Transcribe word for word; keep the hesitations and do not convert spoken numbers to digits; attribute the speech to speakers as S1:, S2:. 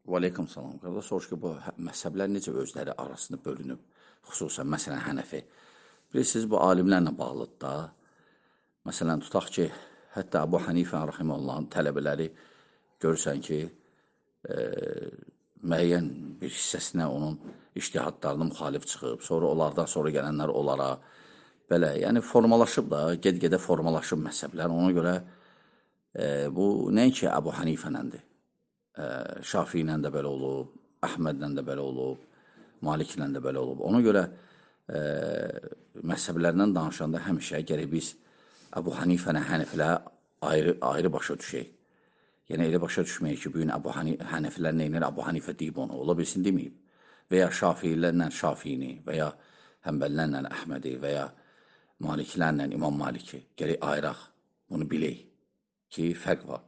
S1: Və aleykum salam. Qardaş, soruş ki, bu hə- məzhəblər necə özləri arasında bölünüb, xüsusən, məsələn, Hənəfi. Bilirsiniz, bu alimlərlə bağlıdır da. Məsələn, tutaq ki, hətta Əbu Hanifə rahimehullahın tələbələri görürsən ki, e, müəyyən bir hissəsinə onun ictihadlarına müxalif çıxıb, sonra onlardan sonra gələnlər onlara belə, yəni formalaşıb da, ged-gedə formalaşıb məzhəblər. Ona görə e, bu nəinki Əbu Hanifənəndir. Şafii ilə də belə olub, Əhmədlə də belə olub, Maliklə də belə olub. Ona görə e, məzhəblərdən danışanda həmişə gərək biz Əbu Hanifəni, Hənəfilə ayrı, ayrı başa düşək. Yəni elə başa düşməyək ki, bugün Əbu Hənəfilər neynir, Əbu Hanifə deyib onu, ola bilsin deməyib. Və ya Şafiilərlə Şafiini, və ya Həmbəllərlə Əhmədi, və ya Maliklərlə İmam Maliki. Gərək ayıraq, bunu bilək ki, fərq var.